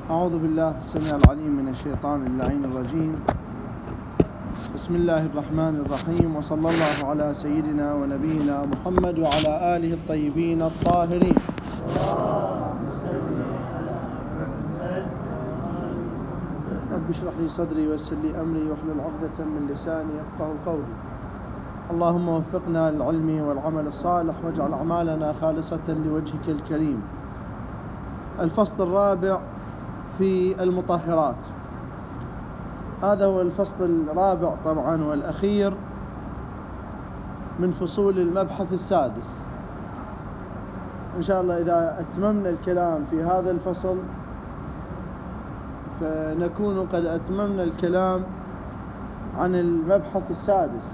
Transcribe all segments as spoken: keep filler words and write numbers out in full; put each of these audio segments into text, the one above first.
أعوذ بالله السميع العليم من الشيطان اللعين الرجيم. بسم الله الرحمن الرحيم، وصلى الله على سيدنا ونبينا محمد وعلى آله الطيبين الطاهرين. رب اشرح لي صدري ويسر لي أمري واحلل عقدة من لساني يفقهوا قولي. اللهم وفقنا للعلم والعمل الصالح واجعل أعمالنا خالصة لوجهك الكريم. الفصل الرابع في المطهرات. هذا هو الفصل الرابع طبعا والأخير من فصول المبحث السادس. إن شاء الله إذا أتممنا الكلام في هذا الفصل فنكون قد أتممنا الكلام عن المبحث السادس،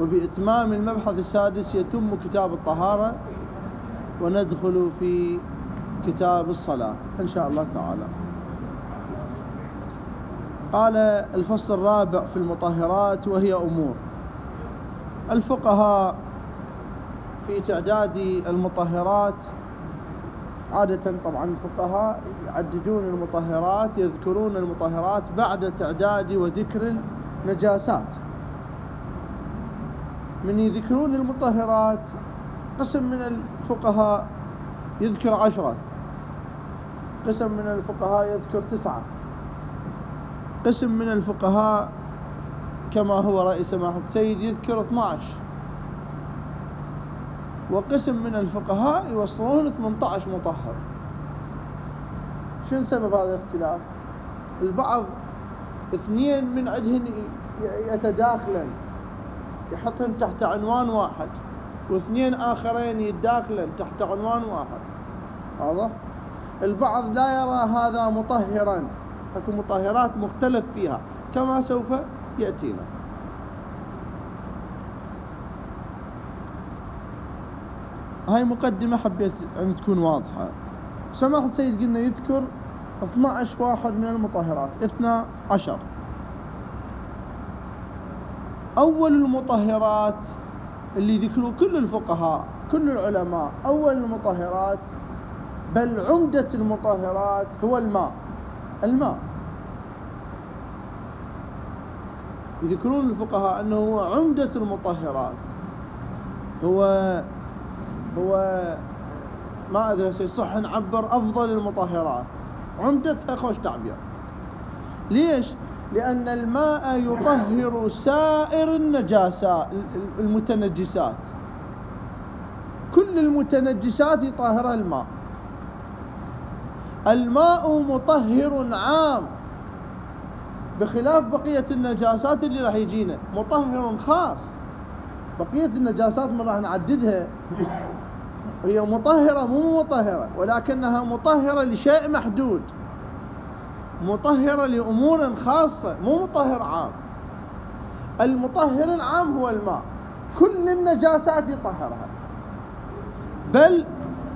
وبإتمام المبحث السادس يتم كتاب الطهارة وندخل في كتاب الصلاة إن شاء الله تعالى. قال الفصل الرابع في المطهرات، وهي أمور. الفقهاء في تعداد المطهرات عادة، طبعا الفقهاء يعددون المطهرات، يذكرون المطهرات بعد تعداد وذكر النجاسات. من يذكرون المطهرات قسم من الفقهاء يذكر عشرة، قسم من الفقهاء يذكر تسعة، قسم من الفقهاء كما هو رأي سماحة السيد يذكر اثني عشر، وقسم من الفقهاء يوصلون ثمانية عشر مطهر. شنو سبب هذا الاختلاف؟ البعض اثنين من عندهن يتداخلن يحطهن تحت عنوان واحد، واثنين آخرين يتداخلن تحت عنوان واحد. واضح؟ البعض لا يرى هذا مطهرا، اكو مطهرات مختلف فيها كما سوف يأتينا. هاي مقدمة حبيت أن تكون واضحة. سماحة السيد قلنا يذكر اثني عشر واحد من المطهرات، اثنى عشر. أول المطهرات اللي ذكروا كل الفقهاء كل العلماء، أول المطهرات بل عمدة المطهرات هو الماء. الماء يذكرون الفقهاء أنه هو عمدة المطهرات، هو هو ما أدري صح نعبر أفضل المطهرات، عمدتها خوش تعبير. ليش؟ لأن الماء يطهر سائر النجاسات المتنجسات، كل المتنجسات يطهرها الماء. الماء مطهر عام بخلاف بقية النجاسات اللي راح يجينا، مطهر خاص. بقية النجاسات ما راح نعددها، هي مطهرة مو مطهرة، ولكنها مطهرة لشيء محدود، مطهرة لأمور خاصة، مو مطهر عام. المطهر العام هو الماء، كل النجاسات يطهرها، بل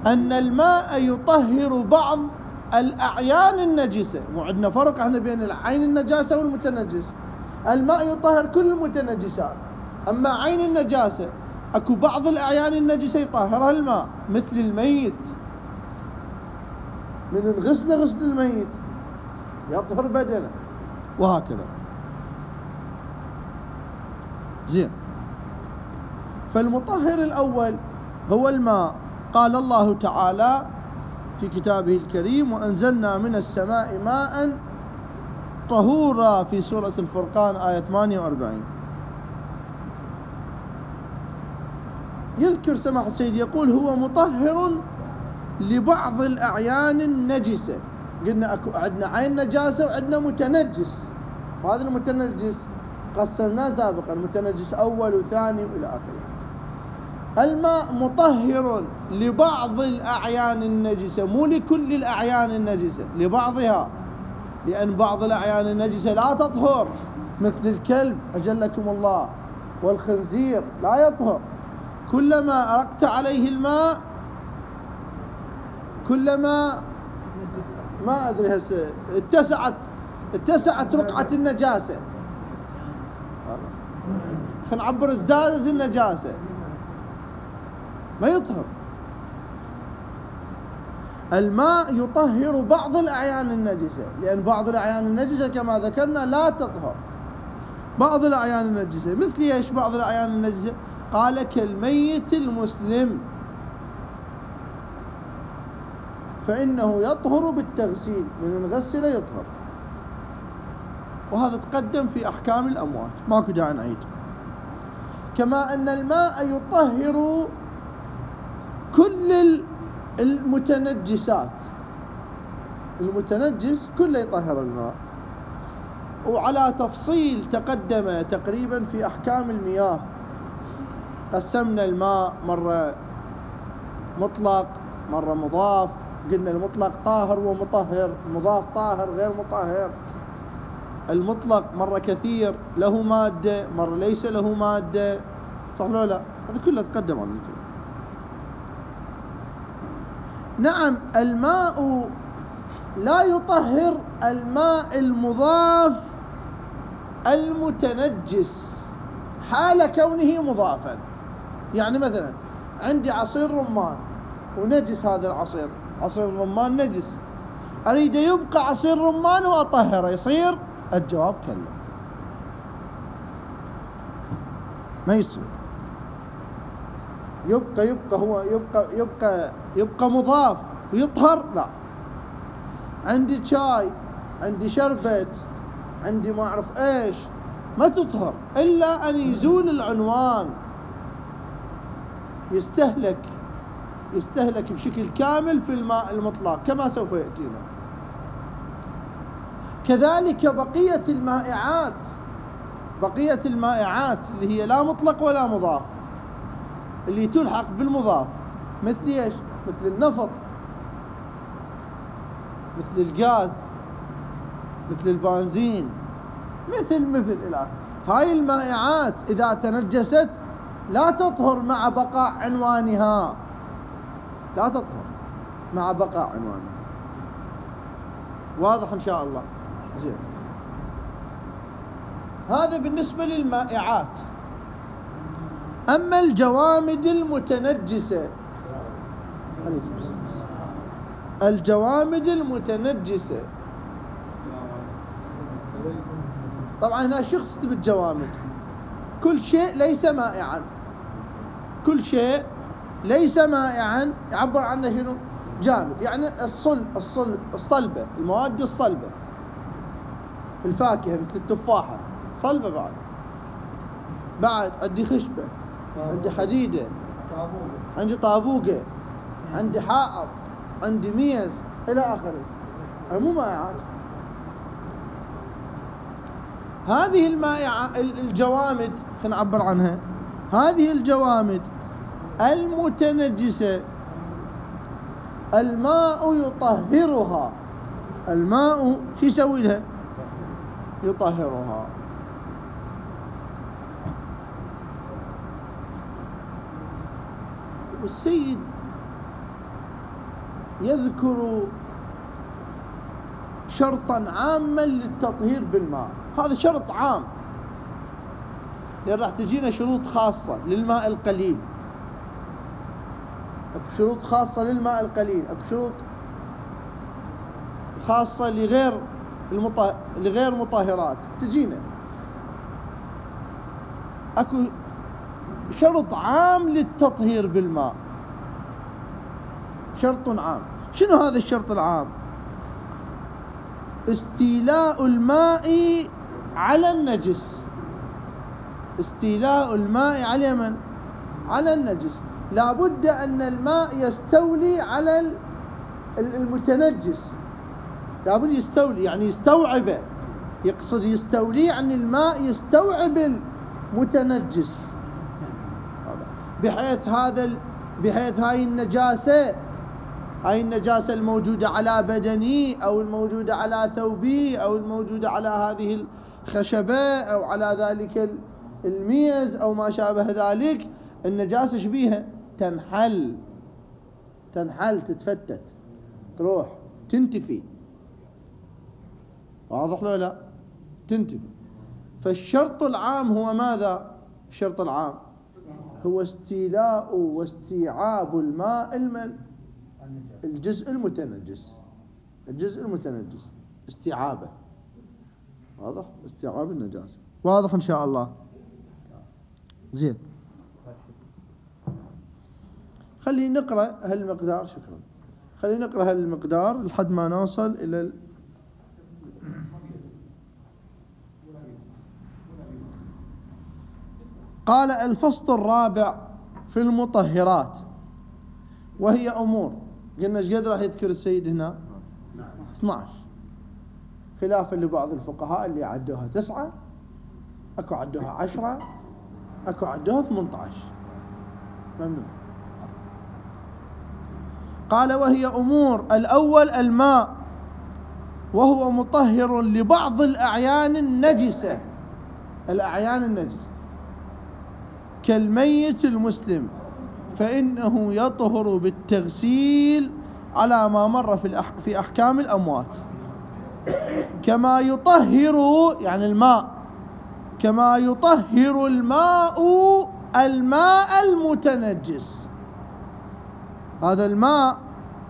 أن الماء يطهر بعض الأعيان النجسة. وعندنا فرق احنا بين العين النجاسة والمتنجس. الماء يطهر كل المتنجسات، أما عين النجاسة أكو بعض الأعيان النجسة يطهرها الماء، مثل الميت. من الغسل غسل الميت يطهر بدنه، وهكذا. زين. فالمطهر الأول هو الماء. قال الله تعالى في كتابه الكريم: وأنزلنا من السماء ماء طهورا، في سورة الفرقان آية ثمانية وأربعين. يذكر سماحة السيد يقول هو مطهر لبعض الأعيان النجسة. قلنا أكو عندنا عين نجاسة وعندنا متنجس، وهذا المتنجس قسمناه سابقا متنجس أول وثاني وإلى آخره. الماء مطهر لبعض الأعيان النجسة، مو لكل الأعيان النجسة، لبعضها، لأن بعض الأعيان النجسة لا تطهر، مثل الكلب أجلكم الله والخنزير لا يطهر. كلما أرقت عليه الماء كلما ما أدري هسه اتسعت اتسعت رقعة النجاسة، خلينا نعبر ازدادت النجاسة، ما يطهر. الماء يطهر بعض الأعيان النجسة، لأن بعض الأعيان النجسة كما ذكرنا لا تطهر. بعض الأعيان النجسة مثل ايش؟ بعض الأعيان النجسة قال كالميت المسلم فإنه يطهر بالتغسيل، من نغسل يطهر، وهذا تقدم في أحكام الأموات ماكو داعي نعيد. كما أن الماء يطهر كل المتنجسات، المتنجس كله يطهر الماء، وعلى تفصيل تقدم تقريبا في أحكام المياه. قسمنا الماء مرة مطلق مرة مضاف، قلنا المطلق طاهر ومطهر، المضاف طاهر غير مطهر. المطلق مرة كثير له مادة، مرة ليس له مادة، صح لو لا؟ هذا كله تقدم عن الكلام. نعم الماء لا يطهر الماء المضاف المتنجس حال كونه مضافا. يعني مثلا عندي عصير رمان ونجس، هذا العصير عصير الرمان نجس، أريد يبقى عصير رمان وأطهره، يصير؟ الجواب كلا، ما يصير. يبقى يبقى هو يبقى يبقى يبقى مضاف ويطهر؟ لا. عندي شاي، عندي شربت، عندي ما أعرف إيش، ما تطهر إلا أن يزول العنوان، يستهلك يستهلك بشكل كامل في الماء المطلق كما سوف يأتينا. كذلك بقية المائعات، بقية المائعات اللي هي لا مطلق ولا مضاف، اللي تلحق بالمضاف، مثل ايش؟ مثل النفط، مثل الغاز، مثل البنزين، مثل مثل الى آخره. هاي المائعات إذا تنجست لا تطهر مع بقاء عنوانها، لا تطهر مع بقاء عنوانها. واضح إن شاء الله؟ زين. هذا بالنسبة للمائعات. أما الجوامد المتنجسة، الجوامد المتنجسة طبعا هنا شخص بالجوامد، كل شيء ليس مائعا، كل شيء ليس مائعا يعبر عنه شنو؟ جامد. يعني الصلب الصلب الصلبة، المواد الصلبة، الفاكهة مثل التفاحة صلبة، بعد بعد عندي خشبة، عندي حديدة، عندي طابوقة، عندي حائط، عندي ميز إلى آخره، مو مائعات. هذه المائعة الجوامد خلينا نعبر عنها، هذه الجوامد المتنجسة الماء يطهرها، الماء شو يسوي لها؟ يطهرها. والسيد يذكر شرطا عاما للتطهير بالماء، هذا شرط عام، لأن راح تجينا شروط خاصة للماء القليل، اكو شروط خاصة للماء القليل، اكو شروط خاصة لغير المط... لغير مطهرات تجينا. اكو شرط عام للتطهير بالماء، شرط عام. شنو هذا الشرط العام؟ استيلاء الماء على النجس، استيلاء الماء على من؟ على النجس. لا بد أن الماء يستولي على المتنجس، لا بد يستولي، يعني يستوعبه، يقصد يستولي عن الماء، يستوعب المتنجس، بحيث هذا بحيث هاي النجاسة هاي النجاسة الموجودة على بدني أو الموجودة على ثوبي أو الموجودة على هذه الخشبة أو على ذلك الميز أو ما شابه ذلك، النجاسة شبيها تنحل تنحل تتفتت، تروح تنتفي. واضح له لا؟ تنتفي. فالشرط العام هو ماذا؟ الشرط العام هو استيلاء واستيعاب الماء المن الجزء المتنجس، الجزء المتنجس استيعابه، واضح؟ استيعاب النجاسة، واضح إن شاء الله. زين، خلينا نقرأ هالمقدار. شكرا. خلينا نقرأ هالمقدار لحد ما نوصل إلى ال... قال الفصل الرابع في المطهرات، وهي أمور. قلنا ايش قد راح يذكر السيد هنا؟ اثني عشر، خلافا لبعض الفقهاء اللي عدوها تسعة، اكو عدوها عشرة، اكو عدوها ثمانية عشر. ممنوع. قال وهي أمور. الأول الماء، وهو مطهر لبعض الأعيان النجسة، الأعيان النجسة كالميت المسلم، فإنه يطهر بالتغسيل على ما مر في في أحكام الأموات، كما يطهر يعني الماء، كما يطهر الماء الماء المتنجس. هذا الماء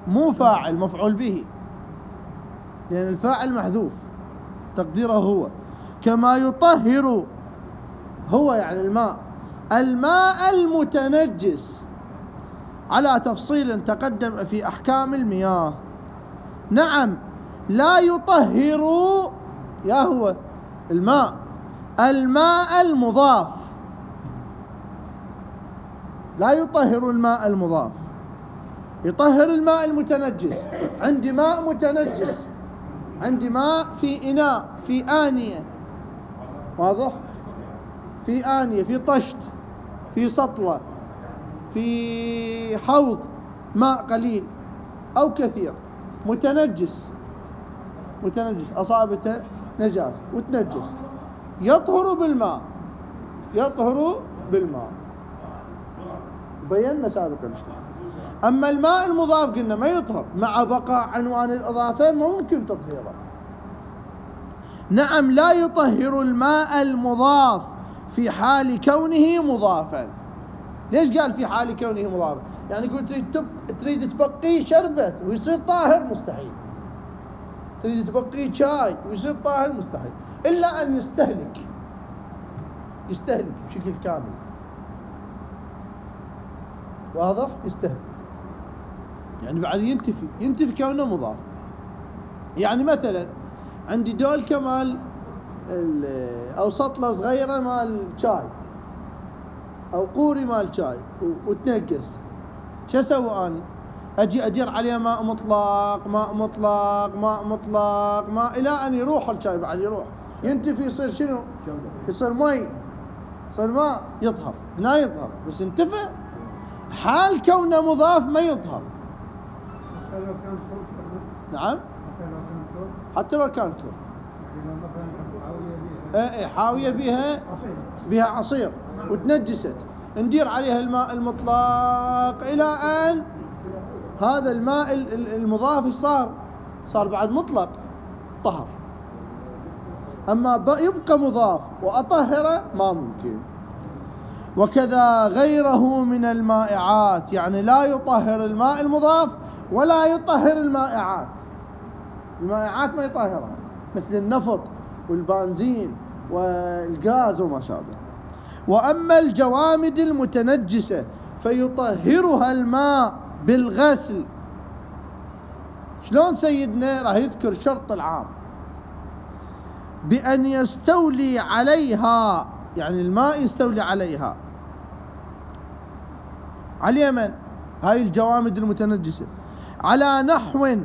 مو فاعل، مفعول به، لأن الفاعل محذوف تقديره هو. كما يطهر هو يعني الماء الماء المتنجس، على تفصيل تقدم في أحكام المياه. نعم، لا يطهر يا هو الماء الماء المضاف، لا يطهر الماء المضاف، يطهر الماء المتنجس. عندي ماء متنجس، عندي ماء في إناء، في آنية، واضح؟ في آنية، في طشت، في سطلة، في حوض، ماء قليل أو كثير متنجس، متنجس أصابته نجاسة وتنجس، يطهر بالماء، يطهر بالماء، بينا سابقا. أما الماء المضاف قلنا ما يطهر، مع بقاء عنوان الإضافة ممكن تطهيره. نعم، لا يطهر الماء المضاف في حال كونه مضافا. ليش قال في حال كونه مضافا؟ يعني يقول تريد تريد تبقيه شربت ويصير طاهر، مستحيل. تريد تبقيه شاي ويصير طاهر، مستحيل، إلا أن يستهلك، يستهلك بشكل كامل، واضح؟ يستهلك يعني بعد ينتفي، ينتفي كونه مضاف. يعني مثلا عندي دول كمال أو سطلة صغيرة مال شاي، أو قوري مال شاي وتنقص، شو أسوي أنا؟ أجي أدير عليه ماء مطلق، ماء مطلق، ماء مطلق، ماء، إلى أن يروح الشاي، بعد يروح ينتفي، يصير شنو؟ يصير مي، يصير ماء، يطهر. هنا يطهر، بس انتفى. حال كونه مضاف ما يطهر. نعم، حتى لو كان كر، ايه حاوية بها بها عصير وتنجست، ندير عليها الماء المطلق إلى أن هذا الماء المضاف صار صار بعد مطلق، طهر. أما يبقى مضاف وأطهره ما ممكن. وكذا غيره من المائعات، يعني لا يطهر الماء المضاف ولا يطهر المائعات. المائعات ما يطهرها، مثل النفط والبنزين والغاز وما شابه. وأما الجوامد المتنجسة فيطهرها الماء بالغسل. شلون سيدنا؟ راح يذكر شرط العام، بأن يستولي عليها، يعني الماء يستولي عليها، على من؟ هاي الجوامد المتنجسة، على نحو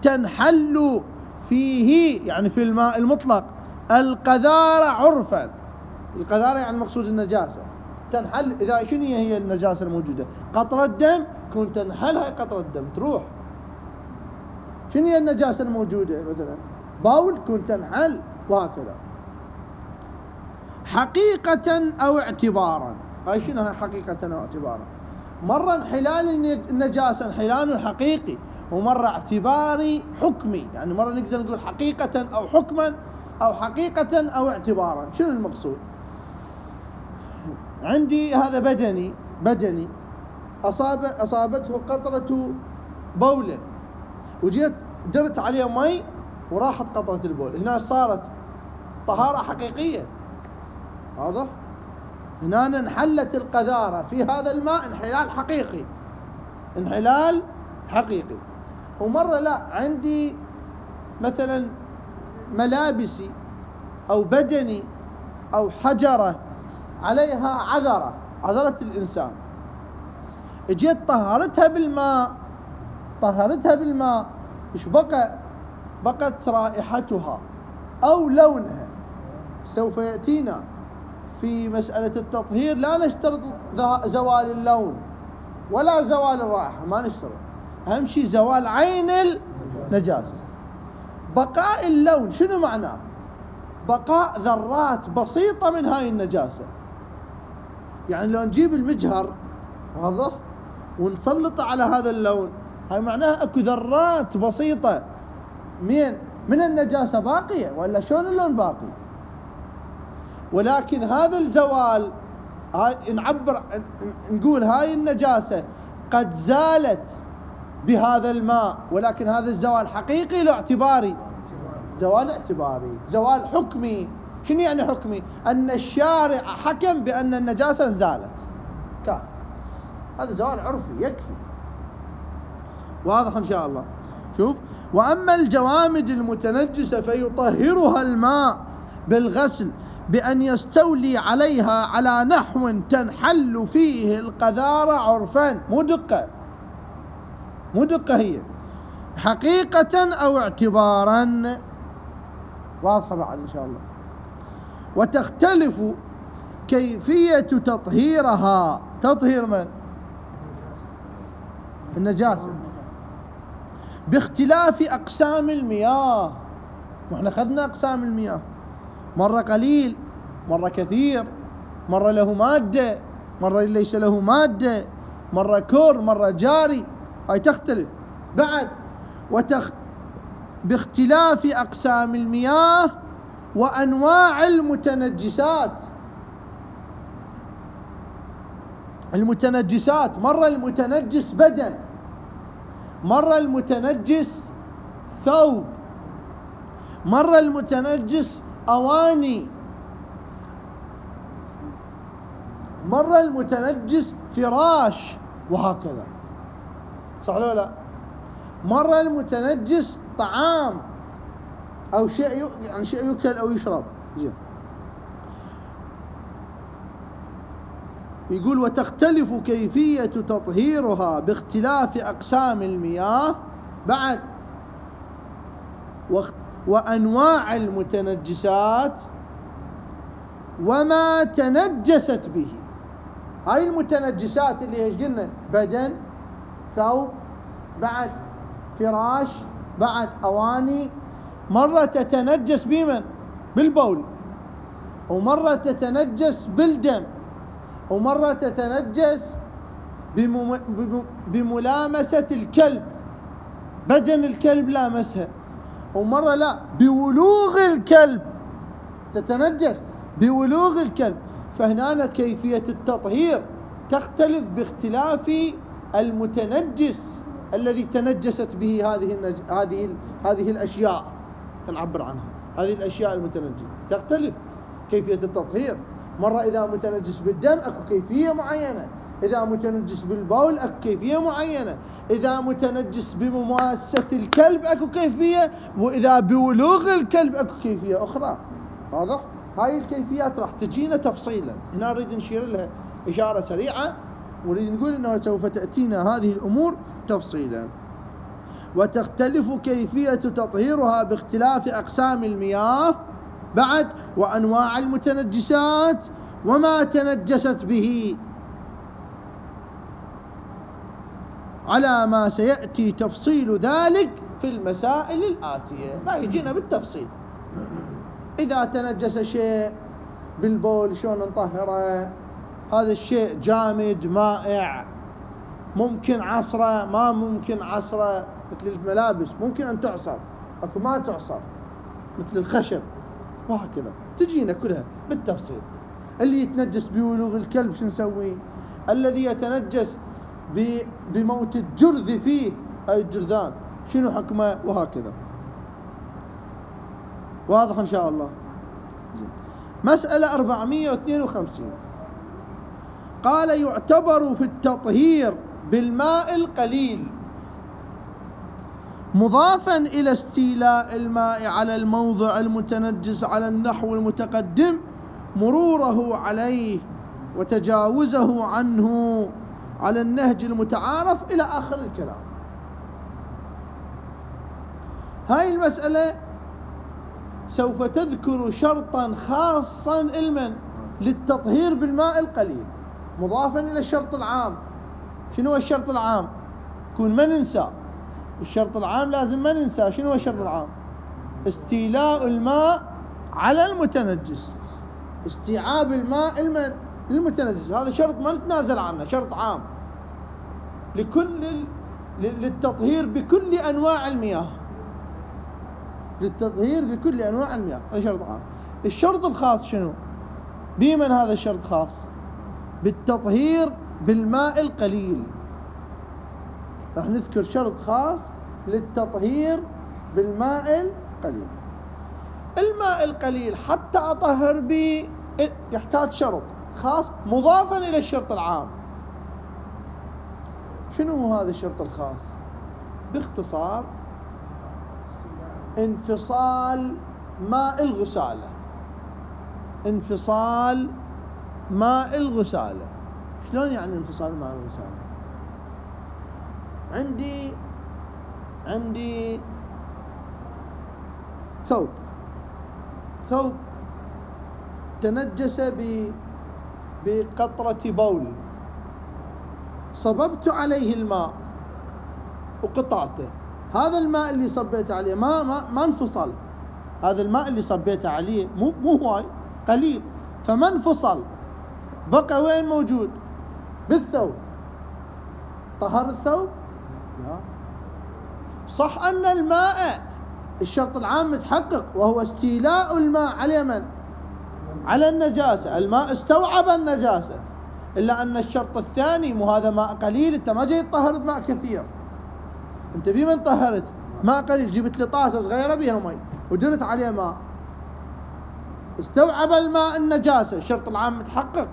تنحل فيه، يعني في الماء المطلق، القذارة عرفا. القذارة يعني المقصود النجاسة، تنحل. إذا شنو هي النجاسة الموجودة؟ قطرة دم، كنت تنحلها قطرة دم تروح. شنو هي النجاسة الموجودة؟ مثلا باول، كنت تنحل، وهكذا. حقيقة أو اعتبارا. هاي شنو هاي حقيقة أو اعتبارا؟ مرة انحلال النجاسة انحلال حقيقي، ومرة اعتباري حكمي، يعني مرة نقدر نقول حقيقة أو حكما، أو حقيقة أو اعتبارا. شنو المقصود؟ عندي هذا بدني بدني أصاب أصابته قطرة بولا وجيت درت عليه مي وراحت قطرة البول، هنا صارت طهارة حقيقية. واضح؟ هنا انحلت القذارة في هذا الماء انحلال حقيقي، انحلال حقيقي. ومرة لا، عندي مثلا ملابسي أو بدني أو حجرة عليها عذرة، عذرة الإنسان، اجيت طهرتها بالماء، طهرتها بالماء، ايش بقى؟ بقت رائحتها أو لونها. سوف يأتينا في مسألة التطهير لا نشترط زوال اللون ولا زوال الرائحة، ما نشترط، أهم شيء زوال عين النجاسة. بقاء اللون شنو معناه؟ بقاء ذرات بسيطة من هاي النجاسة. يعني لو نجيب المجهر واضح ونسلط على هذا اللون، هاي معناها اكو ذرات بسيطة من من النجاسة باقية، ولا شلون اللون باقي؟ ولكن هذا الزوال، هاي نعبر نقول هاي النجاسة قد زالت بهذا الماء، ولكن هذا الزوال حقيقي لو اعتباري؟ زوال اعتباري، زوال حكمي. شنو يعني حكمي؟ أن الشارع حكم بأن النجاسة انزالت، كاف، هذا زوال عرفي يكفي. واضح إن شاء الله؟ شوف، وأما الجوامد المتنجسة فيطهرها الماء بالغسل بأن يستولي عليها على نحو تنحل فيه القذارة عرفا، مو دقة، مو دقة، هي حقيقة أو اعتبارا. واضحة بعد إن شاء الله. وتختلف كيفية تطهيرها، تطهير من؟ النجاسة، باختلاف أقسام المياه. وإحنا أخذنا أقسام المياه، مرة قليل، مرة كثير، مرة له مادة، مرة ليس له مادة، مرة كور، مرة جاري، هاي تختلف. بعد وتخ... باختلاف أقسام المياه وأنواع المتنجسات. المتنجسات مرة المتنجس بدن، مرة المتنجس ثوب، مرة المتنجس أواني، مرة المتنجس فراش، وهكذا. صح ولا لا؟ مرة المتنجس طعام أو شيء يعني شيء يؤكل أو يشرب. زين. يقول وتختلف كيفية تطهيرها باختلاف أقسام المياه، بعد وأنواع المتنجسات وما تنجست به. هاي المتنجسات اللي ايش قلنا؟ بدن، ثوب، بعد فراش، بعد أواني. مرة تتنجس بمن؟ بالبول، ومرة تتنجس بالدم، ومرة تتنجس بمم... بملامسة الكلب، بدن الكلب لامسها، ومرة لا، بولوغ الكلب تتنجس، بولوغ الكلب. فهنا كيفية التطهير تختلف باختلاف المتنجس الذي تنجست به هذه النج... هذه ال... هذه الأشياء، نعبر عنها هذه الأشياء المتنجسة تختلف كيفية التطهير. مرة إذا متنجس بالدم أكو كيفية معينة، إذا متنجس بالبول أكو كيفية معينة، إذا متنجس بمماسة الكلب أكو كيفية، وإذا بولوغ الكلب أكو كيفية أخرى. واضح؟ هاي الكيفيات راح تجينا تفصيلا، هنا نريد نشير لها إشارة سريعة، ونريد نقول أنه سوف تأتينا هذه الأمور تفصيلا. وتختلف كيفية تطهيرها باختلاف أقسام المياه، بعد وأنواع المتنجسات وما تنجست به، على ما سيأتي تفصيل ذلك في المسائل الآتية. راح يجينا بالتفصيل. إذا تنجس شيء بالبول شلون نطهره؟ هذا الشيء جامد مائع، ممكن عصره، ما ممكن عصره، مثل الملابس ممكن أن تعصر، أكو ما تعصر، مثل الخشب، وهكذا تجينا كلها بالتفصيل. اللي يتنجس بولوغ الكلب شو نسوي؟ الذي يتنجس بموت الجرذ فيه هاي الجرذان شنو حكمه وهكذا. واضح إن شاء الله. مسألة أربعمائة واثنين وخمسين قال يعتبر في التطهير بالماء القليل مضافا إلى استيلاء الماء على الموضع المتنجس على النحو المتقدم مروره عليه وتجاوزه عنه على النهج المتعارف إلى آخر الكلام. هاي المسألة سوف تذكر شرطا خاصا المن للتطهير بالماء القليل مضافا إلى الشرط العام. شنو الشرط العام؟ كون ما ننسى الشرط العام، لازم ما ننسى شنو الشرط العام؟ استيلاء الماء على المتنجس، استيعاب الماء المن المتنجس، هذا شرط ما نتنازل عنه، شرط عام لكل للتطهير بكل أنواع المياه، للتطهير بكل أنواع المياه، هذا شرط عام. الشرط الخاص شنو؟ بمن هذا الشرط خاص؟ بالتطهير بالماء القليل. راح نذكر شرط خاص للتطهير بالماء القليل. الماء القليل حتى أطهر به يحتاج شرط خاص مضافا إلى الشرط العام. شنو هو هذا الشرط الخاص؟ باختصار انفصال ماء الغسالة. انفصال ماء الغسالة. شلون يعني انفصال ماء الغسالة؟ عندي عندي ثوب ثوب تنجس بقطرة بول، صببت عليه الماء وقطعته. هذا الماء اللي صبيت عليه ما ما ما انفصل، هذا الماء اللي صبيت عليه مو مو هواي، قليل، فما انفصل، بقى وين موجود؟ بالثوب. طهر الثوب؟ لا. صح أن الماء الشرط العام متحقق وهو استيلاء الماء على من؟ على النجاسة، الماء استوعب النجاسة، إلا أن الشرط الثاني مو هذا ماء قليل، أنت ما جاي تطهر بماء كثير، أنت بمن طهرت؟ ماء قليل، جبت لي طاسة صغيرة بها مي ودرت عليه ماء، استوعب الماء النجاسة، الشرط العام متحقق.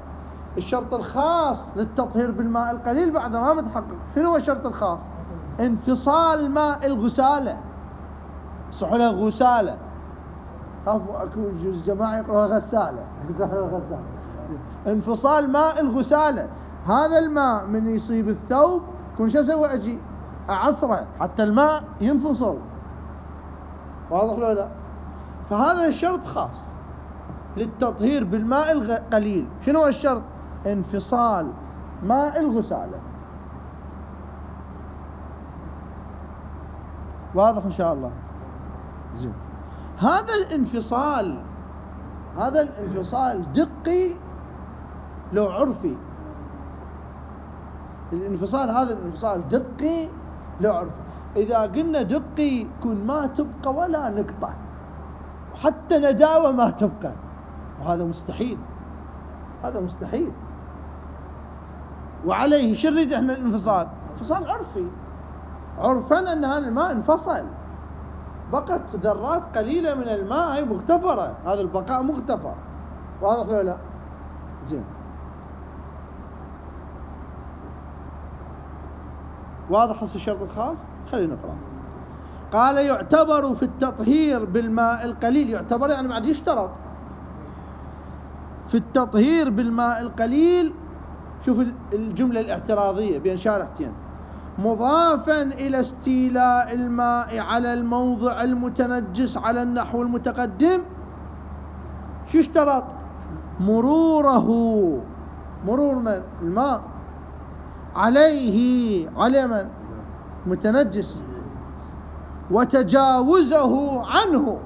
الشرط الخاص للتطهير بالماء القليل بعد ما متحقق. شنو هو الشرط الخاص؟ انفصال ماء الغسالة. صح لها غسالة، خافوا اكو جزء جماعة يقرأها غسالة. غسالة. انفصال ماء الغسالة، هذا الماء من يصيب الثوب كون شو اسوي؟ اجي اعصره حتى الماء ينفصل. واضح ولا لا؟ فهذا الشرط خاص للتطهير بالماء القليل. شنو هو الشرط؟ انفصال ماء الغسالة. واضح إن شاء الله؟ زين. هذا الانفصال هذا الانفصال دقي لو عرفي. الانفصال هذا الانفصال دقي لو عرفي. إذا قلنا دقي يكون ما تبقى ولا نقطة، وحتى نداوة ما تبقى، وهذا مستحيل، هذا مستحيل. وعليه شو نريد احنا الانفصال؟ انفصال عرفي، عرفا أن هذا الماء انفصل، بقت ذرات قليلة من الماء هي مغتفرة، هذا البقاء مغتفر. واضح ولا لا؟ زين. واضح هسه الشرط الخاص؟ خلينا نقرأ. قال يعتبر في التطهير بالماء القليل، يعتبر يعني بعد يشترط في التطهير بالماء القليل. شوف الجملة الاعتراضية بين شارحتين، مضافا إلى استيلاء الماء على الموضع المتنجس على النحو المتقدم. شو اشترط؟ مروره، مرور من؟ الماء عليه، على من؟ متنجس، وتجاوزه عنه،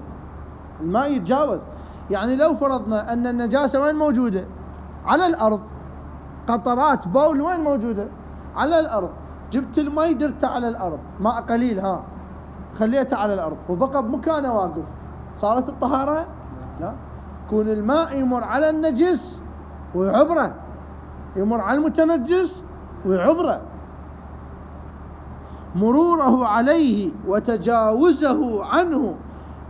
الماء يتجاوز. يعني لو فرضنا أن النجاسة وين موجودة؟ على الأرض، قطرات بول وين موجودة؟ على الأرض، جبت الماء درته على الأرض، ماء قليل ها، خليته على الأرض وبقى بمكانه واقف، صارت الطهارة؟ لا. كون الماء يمر على النجس ويعبره، يمر على المتنجس ويعبره. مروره عليه وتجاوزه عنه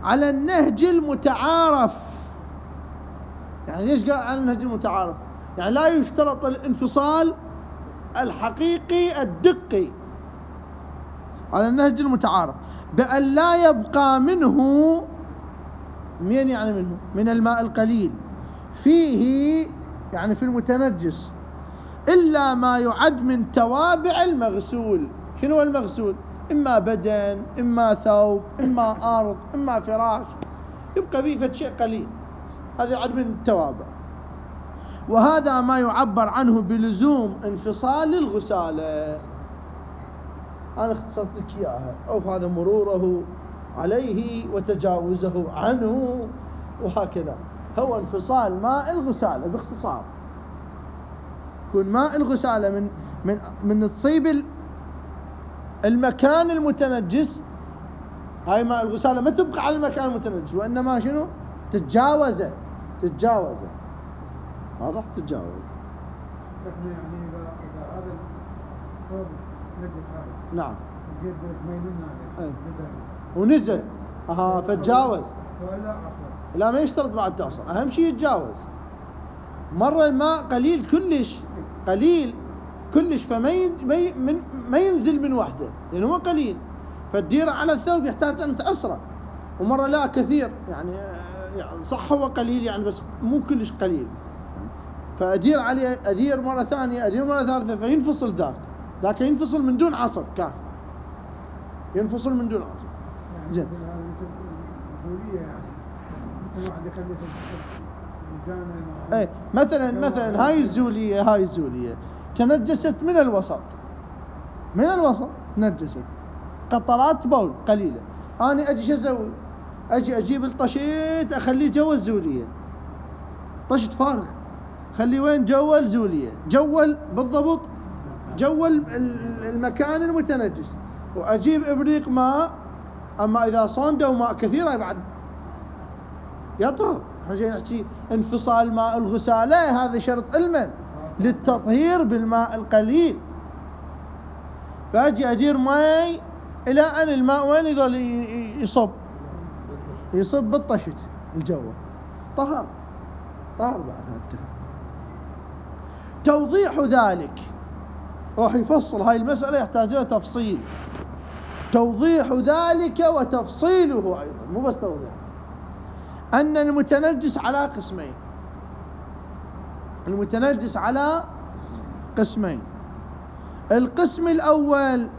على النهج المتعارف. يعني ليش قال على النهج المتعارف؟ يعني لا يشترط الانفصال الحقيقي الدقي، على النهج المتعارف، بأن لا يبقى منه، من يعني منه من الماء القليل فيه، يعني في المتنجس، إلا ما يعد من توابع المغسول. شنو هو المغسول؟ إما بدن، إما ثوب، إما أرض، إما فراش، يبقى فيه فد شيء قليل، هذا يعد من التوابع. وهذا ما يعبر عنه بلزوم انفصال الغسالة. أنا اختصرت لك إياها، أو هذا مروره عليه وتجاوزه عنه، وهكذا هو انفصال ماء الغسالة باختصار. يكون ماء الغسالة من من من تصيب المكان المتنجس، هاي ماء الغسالة ما تبقى على المكان المتنجس، وإنما شنو؟ تتجاوزه تتجاوزه واضح؟ تتجاوز. يعني إذا إذا هذا الثوب نجس هذا، نعم، جيب ميمون هذا أي. ونزل اها فتجاوز، ولا عصر؟ لا ما يشترط بعد تعصر، اهم شيء يتجاوز. مره الماء قليل كلش، قليل كلش، فما من ما ينزل من وحده لانه هو قليل، فالديره على الثوب يحتاج ان تعصره. ومره لا كثير، يعني يعني صح هو قليل يعني بس مو كلش قليل، فادير عليه، ادير مره ثانيه، ادير مره ثالثه، فينفصل ذاك ذاك ينفصل من دون عصر، كافي ينفصل من دون عصر. يعني زين. هذا الزولية، يعني الواحد يخلي الجامع. ايه مثلا مثلا هاي الزوليه هاي الزوليه تنجست من الوسط، من الوسط تنجست، قطرات بول قليله. انا اجي شو اسوي؟ اجي اجيب الطشيت اخليه جوا الزوليه، طشت فارغ، خليه وين؟ جوا الزوليه، جوا بالضبط جوا المكان المتنجس، واجيب ابريق ماء. اما اذا صندوا ماء كثير بعد يطهر. احنا جاي نحكي انفصال ماء الغسالة، هذا شرط علما للتطهير بالماء القليل. فاجي ادير ماء الى ان الماء وين يظل يصب يصب بالطشت الجو، طهر طهر بعد. انتهى. توضيح ذلك راح يفصل هاي المسألة، يحتاج لها تفصيل. توضيح ذلك وتفصيله أيضا، مو بس توضيح، أن المتنجس على قسمين. المتنجس على قسمين. القسم الأول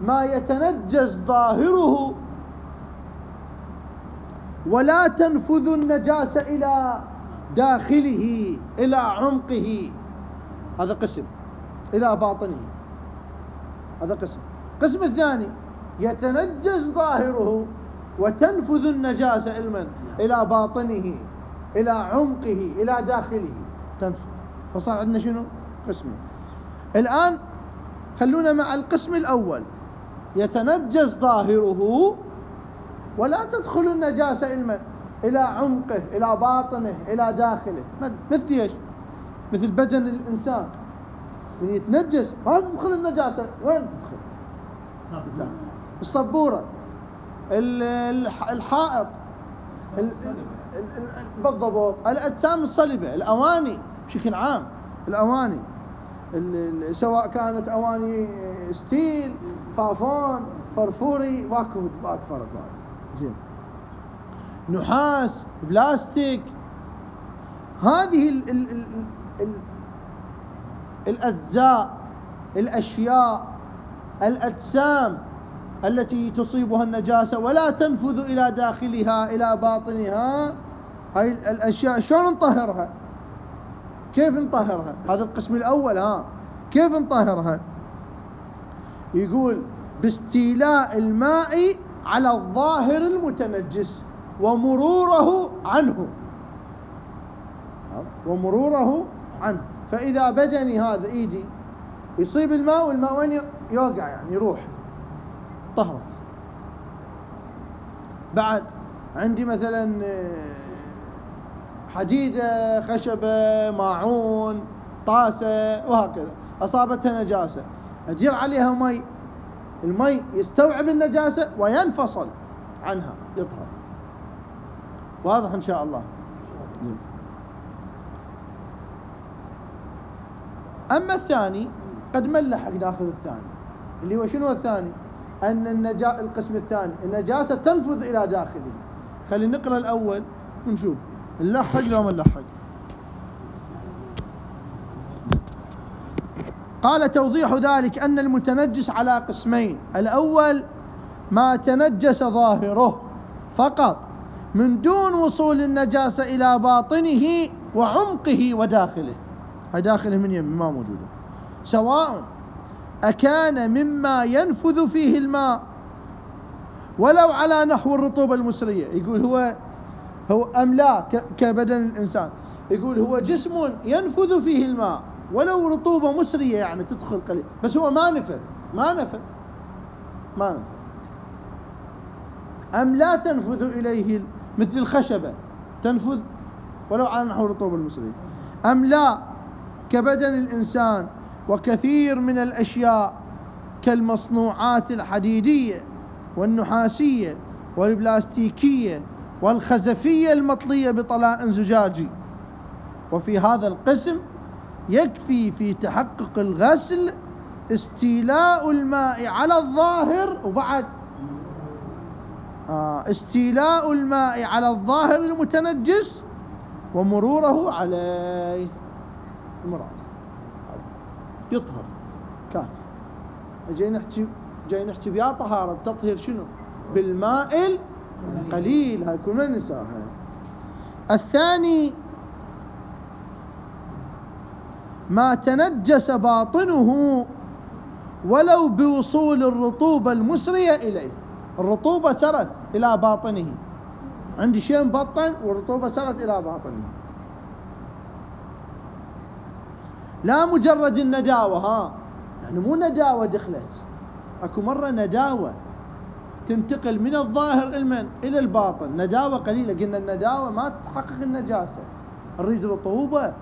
ما يتنجس ظاهره ولا تنفذ النجاسة إلى داخله إلى عمقه، هذا قسم، إلى باطنه، هذا قسم. القسم الثاني يتنجس ظاهره وتنفذ النجاسة علما إلى باطنه إلى عمقه إلى داخله تنفذ. فصار عندنا شنو؟ قسمين. الآن خلونا مع القسم الأول، يتنجس ظاهره ولا تدخل النجاسة علما إلى عمقه إلى باطنه إلى داخله. مثل ايش؟ مثل بدن الإنسان من يتنجس ما تدخل النجاسة، وين تدخل؟ الصبورة، الحائط، بالضبط، الأجسام الصلبة، الأواني بشكل عام، الأواني سواء كانت أواني ستيل، فافون، فرفوري، ماكو ماكو فرق بعد. زين. نحاس، بلاستيك، هذه ال ال ال ال الأجزاء، الأشياء، الأجسام التي تصيبها النجاسة ولا تنفذ إلى داخلها إلى باطنها، هاي الأشياء شلون نطهرها؟ كيف نطهرها؟ هذا القسم الأول. ها كيف نطهرها؟ يقول باستيلاء الماء على الظاهر المتنجس ومروره عنه ومروره عنه. فإذا بدني هذا إيدي يصيب الماء، والماء وين يوقع؟ يعني يروح، طهرت. بعد عندي مثلا حديدة، خشبة، ماعون، طاسة، وهكذا أصابتها نجاسة، أدير عليها مي المي يستوعب النجاسة وينفصل عنها يطهر. واضح إن شاء الله. أما الثاني قد ملح ناخذ الثاني اللي هو شنو الثاني؟ أن النجا القسم الثاني النجاسة تنفذ إلى داخله. خلينا نقرأ الأول ونشوف نلحق لو ما نلحق. قال توضيح ذلك أن المتنجس على قسمين: الأول ما تنجس ظاهره فقط من دون وصول النجاسة إلى باطنه وعمقه وداخله، هاي داخله من يم ما موجودة، سواء أكان مما ينفذ فيه الماء ولو على نحو الرطوبة المسرية. يقول هو هو أم لا كبدن الإنسان، يقول هو جسم ينفذ فيه الماء ولو رطوبة مسرية يعني تدخل قليل، بس هو ما نفذ ما نفذ ما نفذ أم لا تنفذ إليه مثل الخشبة تنفذ ولو على نحو الرطوبة المسرية، أم لا كبدن الإنسان وكثير من الأشياء كالمصنوعات الحديدية والنحاسية والبلاستيكية والخزفية المطلية بطلاء زجاجي. وفي هذا القسم يكفي في تحقق الغسل استيلاء الماء على الظاهر، وبعد آه استيلاء الماء على الظاهر المتنجس ومروره عليه، مرار يطهر كافي. جاي نحكي جاي نحكي بيا طهارة التطهير شنو؟ بالماء القليل، هاي كلنا ننساها. الثاني ما تنجس باطنه ولو بوصول الرطوبة المسرية إليه. الرطوبة سرت إلى باطنه، عندي شيء مبطن والرطوبة سرت إلى باطنه، لا مجرد النداوة، ها يعني مو نداوة دخلت، أكو مرة نداوة تنتقل من الظاهر المن إلى الباطن، نداوة قليلة. قلنا النداوة ما تحقق النجاسة، نريد رطوبة.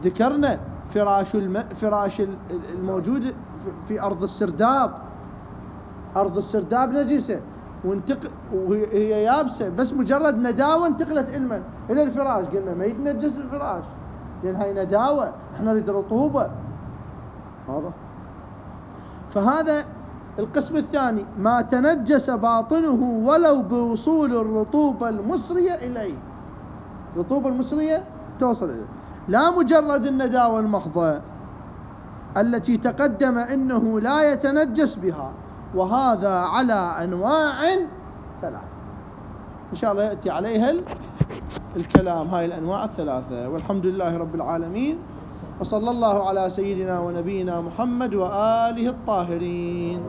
ذكرنا فراش الم... فراش الموجود في أرض السرداب، أرض السرداب نجسة وانتقل وهي يابسة، بس مجرد نداوة انتقلت المن إلى الفراش، قلنا ما يتنجس الفراش لأن هاي نداوة، احنا نريد رطوبة. هذا فهذا القسم الثاني ما تنجس باطنه ولو بوصول الرطوبة المسرية إليه، الرطوبة المسرية توصل إليه، لا مجرد النداوة المحضة التي تقدم إنه لا يتنجس بها، وهذا على أنواع ثلاثة إن شاء الله يأتي عليها الكلام، هاي الأنواع الثلاثة. والحمد لله رب العالمين، وصلى الله على سيدنا ونبينا محمد وآله الطاهرين.